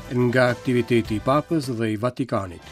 Nga aktiviteti i Papës dhe i Vatikanit.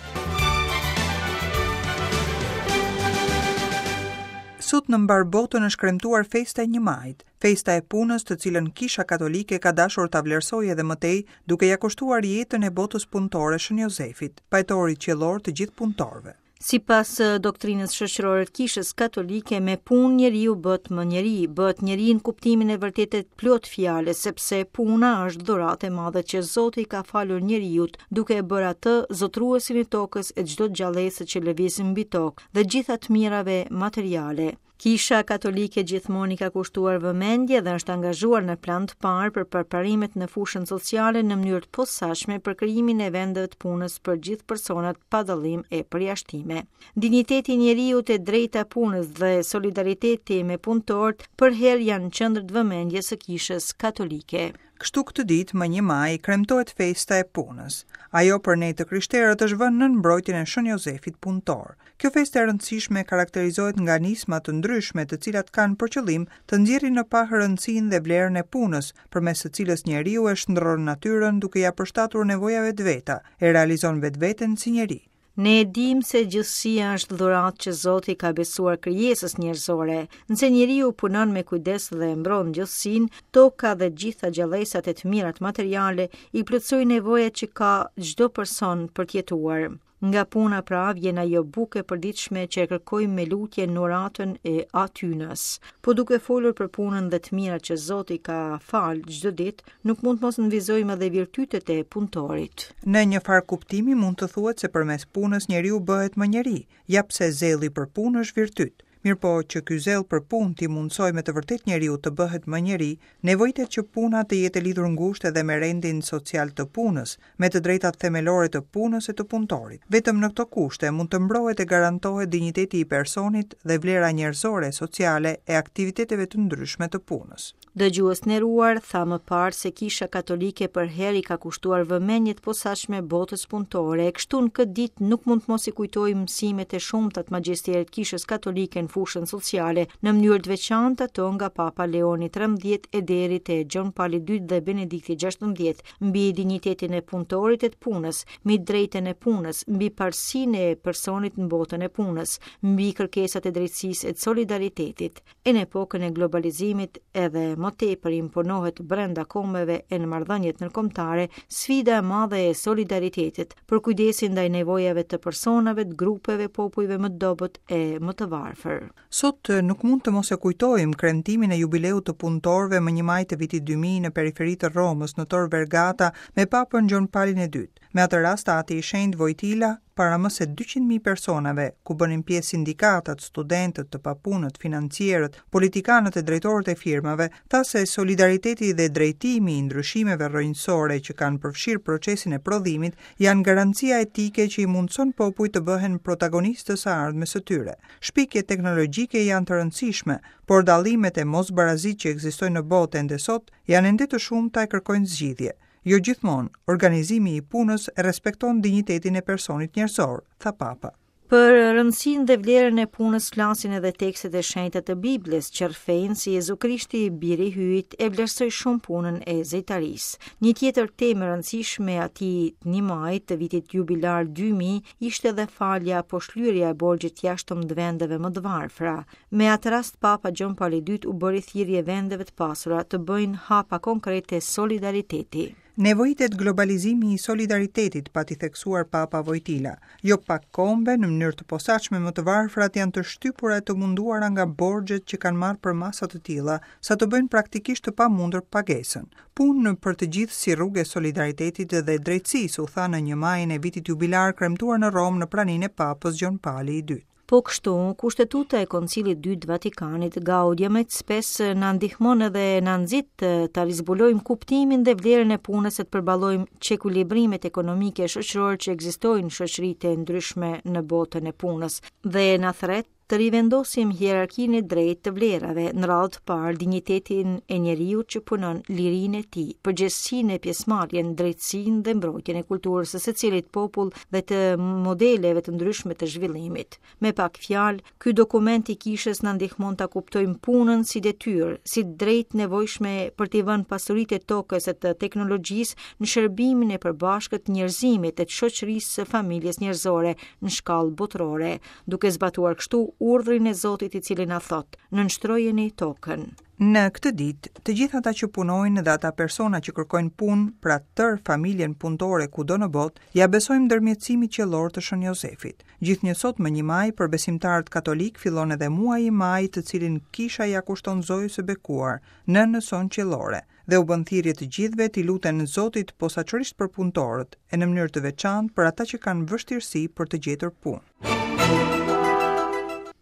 Sot në mbarë botën është kremtuar festa e 1 majit, festa e punës të cilën Kisha Katolike ka dashur ta vlerësojë edhe më tej duke ia kushtuar jetën e botës punëtore Shën Jozefit, pajtorit qiellor të gjithë punëtorëve. Sipas doktrinës shoqërore të Kishës Katolike, me punë njeriu bëhet më njeri, bëhet njeri në kuptimin e vërtetë të plotë të fjalës, sepse puna është dhuratë e madhe që Zoti i ka falur njeriut, duke e bërë atë zotëruesin e tokës e çdo gjallese që lëviz mbi tokë dhe gjitha të mirave materiale. Kisha Katolike gjithmonë i ka kushtuar vëmendje dhe është angazhuar në plan të parë për përparimet në fushën sociale në mënyrë të posaçme për krijimin e vendeve të punës për gjithë personat pa dallim e përjashtime. Dinjiteti i njeriut e drejta e punës dhe solidariteti me punëtorët përherë janë në qendër të vëmendjes së Kishës Katolike. Kështu këtë ditë, më 1 maj, kremtohet festa e punës. Ajo për ne të krishterët është vënë nën mbrojtjen e Shën Jozefit punëtor. Kjo festë e rëndësishme karakterizohet nga nisma të ndryshme të cilat kanë për qëllim të nxjerrin në pah rëndësinë dhe vlerën e punës, përmes së cilës njeriu e shndërron natyrën duke ia përshtatur nevojave të veta, e realizon vetveten si njeri. Ne e dimë se gjithësia është dhuratë që Zoti i ka besuar krijesës njerëzore. Nëse njeriu punon me kujdes dhe mbron gjithësinë, toka dhe gjitha gjallesat e të mirat materiale i plotësojnë nevojat që ka çdo person për të jetuar. Nga puna pra vjen ajo bukë e përditshme që e kërkojmë me lutje në uratën e Atynës. Po duke folur për punën dhe të mirat që Zoti ka falë çdo ditë, nuk mund të mos nënvizojmë edhe virtytet e punëtorit. Në një farë kuptimi mund të thuhet se përmes punës njeriu bëhet më njeri, ja pse zelli për punë është virtyt. Mirëpo, që ky zell për punë t'i mundësojë me të vërtetë njeriut të bëhet më njeri, nevojitet që puna të jetë e lidhur ngushtë edhe me rendin social të punës, me të drejtat themelore të punës e të punëtorit. Vetëm në këto kushte mund të mbrohet e garantohet dinjiteti i personit dhe vlera njerëzore e sociale e aktiviteteve të ndryshme të punës. Dëgjues të nderuar, thamë më parë se Kisha Katolike përherë i ka kushtuar vëmendje të posaçme botës punëtore, e kështu në këtë ditë nuk mund të mos i kujtojmë mësimet e shumta të Magjisterit të Kishës Katolike në fushën sociale, në mënyrë të veçantë ato nga Papa Leoni 13 e deri te Gjon Pali II dhe Benedikti 16, mbi dinjitetin e punëtorit e të punës, mbi drejtën e punës, mbi parësinë e personit në botën e punës, mbi kërkesat e drejtësisë e të solidaritetit. E në epokën e globalizimit edhe më tepër imponohet brenda kombeve e në marrëdhëniet ndërkombëtare sfida e madhe e solidaritetit, përkujdesjen ndaj nevojave të personave, të grupeve, popujve më të dobët e më të varfër. Sot nuk mund të mos e kujtojmë kremtimin e jubileut të punëtorëve më 1 maj të vitit 2000 në periferi të Romës, në Tor Vergata, me Papën Gjon Palin e II. Me atë rast Ati i Shenjtë Vojtila para më se 200.000 personave, ku bënin pjesë sindikatat, studentët, të papunët, financierët, politikanët e drejtorët e firmave, tha se solidariteti dhe drejtimi i ndryshimeve rrënjësore që kanë përfshirë procesin e prodhimit janë garancia etike që i mundëson popujt të bëhen protagonistë të së ardhmes së tyre. Shpikjet teknologjike janë të rëndësishme, por dallimet e mosbarazitë që ekzistojnë në botë ende sot janë ende të shumta e kërkojnë zgjidhje. Jo gjithmonë, organizimi i punës respekton dinjitetin e personit njerëzor, tha Papa. Për rëndësinë dhe vlerën e punës flasin edhe tekstet e shenjta të Biblës, që rrëfejnë se Jezu Krishti, biri i Hyjit, e vlerësoi shumë punën e zejtarisë. Një tjetër temë e rëndësishme e atij 1 majit të vitit jubilar 2000 ishte edhe falja apo shlyerja e borxhit të jashtëm të vendeve më të varfra. Me atë rast Papa Gjon Pali II u bëri thirrje vendeve të pasura të bëjnë hapa konkrete solidariteti. Nevojitet globalizimi i solidaritetit, pati theksuar Papa Vojtila. Jo pak kombe, në mënyrë të posaçme më të varfrat janë të shtypura e të munduara nga borxhet që kanë marrë përmasa të tilla, sa të bëjnë praktikisht të pamundur pagesën. Punë për të gjithë si rrugë e solidaritetit dhe drejtësisë, u tha në 1 majin e vitit jubilar kremtuar në Romë në praninë e Papës Gjon Pali II. Po kështu, Kushtetuta e Koncilit të Dytë të Vatikanit, Gaudium et Spes, na ndihmon edhe na nxit ta rizbulojmë kuptimin dhe vlerën e punës e të përballojmë çekuilibrimet ekonomike e shoqërore që ekzistojnë në shoqëritë e ndryshme në botën e punës dhe na thërret. Të rivendosim hierarkinë e drejtë të vlerave, në radhë të parë dinjitetin e njeriut që punon, lirinë e tij, përgjegjësinë e pjesëmarrjen, drejtësinë dhe mbrojtjen e kulturës së secilit popull dhe të modeleve të ndryshme të zhvillimit. Me pak fjalë, ky dokument i kishës na ndihmon ta kuptojmë punën si detyrë, si të drejtë të nevojshme për t'i vënë pasuritë e tokës e të teknologjisë në shërbimin e përbashkët të njerëzimit e të shoqërisë së familjes njerëzore në shkallë botërore, duke zbatuar kështu urdhrin e Zotit i cili na thotë, nënshtrojeni tokën. Në këtë ditë, të gjithë ata që punojnë dhe ata persona që kërkojnë punë, pra tërë familjen punëtore kudo në botë, ia besojmë ndërmjetësimit qiellor të Shën Jozefit. Gjithnjë sot më një maj për besimtarët katolikë fillon edhe muaji maj të cilin kisha ia kushton Zojës së Bekuar, Nënës sonë qiellore. Dhe u bën thirrje të gjithëve t'i luten Zotit posaçërisht për punëtorët, e në mënyrë të veçantë për ata që kanë vështirësi për të gjetur punë.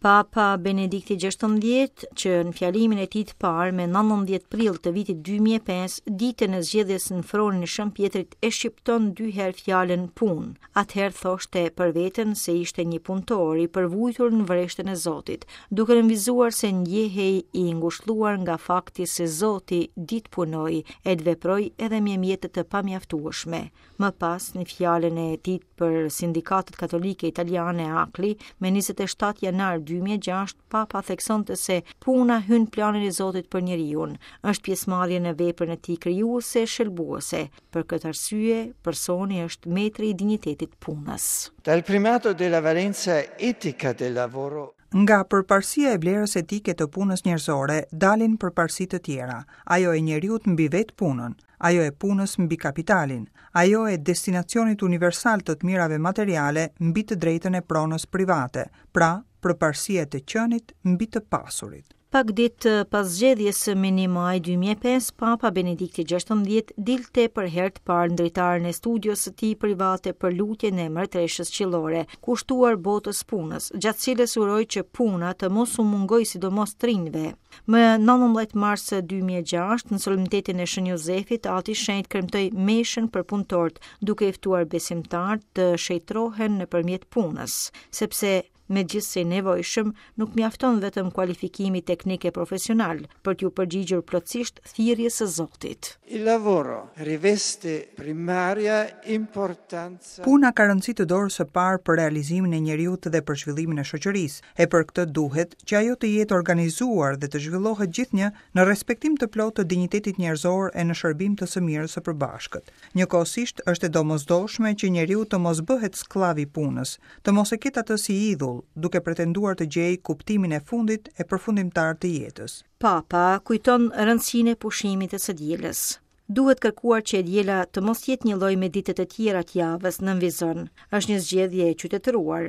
Papa Benedikti XVI, që në fjalimin e tij të parë me 19 prill të vitit 2005, ditën e zgjedhjes në fronin e Shën Pjetrit e shqipton dy herë fjalën punë. Atëherë thoshte për veten se ishte një punëtor i përvujtur në vreshtën e Zotit, duke nënvizuar se ndjehej i ngushëlluar nga fakti se Zoti di të punojë e të veprojë edhe me mjete të pamjaftueshme. Më pas, në fjalën e tij për sindikatat katolike italiane ACLI, me 27 janar 2006, Papa theksonte se puna hyn në planin e Zotit për njeriun, është pjesëmarrje në veprën e tij krijuese e shëlbuese. Për këtë arsye, personi është metri i dinjitetit të punës. Dal primato della valenza etica del lavoro Nga përparësia e vlerës etike të punës njerëzore dalin përparësi të tjera, ajo e njeriut mbi vetë punën, ajo e punës mbi kapitalin, ajo e destinacionit universal të të mirave materiale mbi të drejtën e pronës private, pra përparësia e të qenit mbi të pasurit. Pak ditë pas zgjedhjes më 1 maj 2005, Papa Benedikti XVI dilte për herë të parë në dritaren e studios së tij private për lutjen e Mbretëreshës Qiellore, kushtuar botës punës, gjatë cilës uroi që puna të mos u mungojë sidomos të rinjve. Më 19 mars 2006, në solemnitetin e Shën Jozefit, Ati i Shenjtë kremtoi meshën për punëtorët, duke i ftuar besimtarët të shenjtërohen nëpërmjet punës, sepse megjithëse i nevojshëm, nuk mjafton vetëm kualifikimi teknik e profesional për t'iu përgjigjur plotësisht thirrjes së Zotit. Il lavoro riveste primaria importanza. Puna ka rëndësi të dorës së parë për realizimin e njeriut dhe për zhvillimin e shoqërisë, e për këtë duhet që ajo të jetë organizuar dhe të zhvillohet gjithnjë në respektim të plotë të dinjitetit njerëzor e në shërbim të së mirës së përbashkët. Njëkohësisht është e domosdoshme që njeriu të mos bëhet skllav i punës, të mos e ketë atë si idhull, duke pretenduar të gjejë kuptimin e fundit e përfundimtar të jetës. Papa kujton rëndësinë e pushimit të së dielës. Duhet kërkuar që e diela të mos jetë njëlloj me ditët e tjera të javës, nënvizon. Është një zgjedhje e qytetëruar.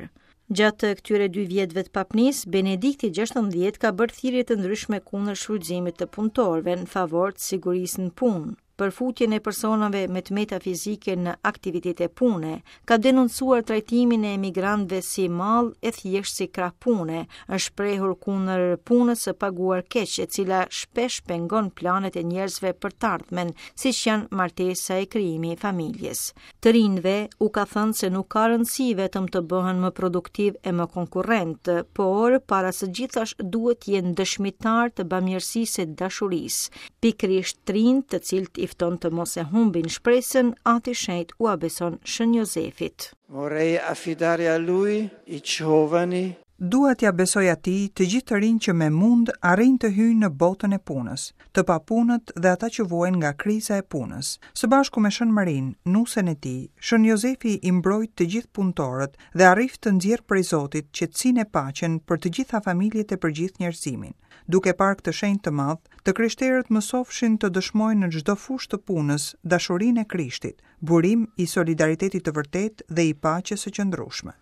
Gjatë këtyre dy vjetëve të papnisë, Benedikti XVI ka bërë thirrje të ndryshme kundër shfrytëzimit të punëtorëve në favor të sigurisë në punë. për futjen e personave me të meta fizike në aktivitete pune, ka denoncuar trajtimin e emigrantëve si mall e thjesht si krah pune, është shprehur kundër punës së paguar keq, e cila shpesh pengon planet e njerëzve për të ardhmen, siç janë martesa e krijimi i familjes. Të rinjve u ka thënë se nuk ka rëndësi vetëm të bëhen më produktivë e më konkurrentë, por para së gjithash duhet të jenë dëshmitarë të bamirësisë e dashurisë. Pikërisht të rinjtë, të cilët i fton të mos e humbin shpresën, Ati i Shenjtë ua beson Shën Jozefit. Vorrei affidare a lui i giovani Dua t'ia besoj atij të gjithë të rinjtë që me mund arrijnë të hyjnë në botën e punës, të papunët dhe ata që vuajnë nga kriza e punës. Së bashku me Shën Marinë, nusen e tij, Shën Jozefi i mbrojtë të gjithë punëtorët dhe arriftë të nxjerrë prej Zotit qetësinë e paqen për të gjitha familjet e për gjithë njerëzimin. Duke parë këtë shenjt të madh, të krishterët mësofshin të dëshmojnë në çdo fushë të punës dashurinë e Krishtit, burim i solidaritetit të vërtetë dhe i paqes së qëndrueshme.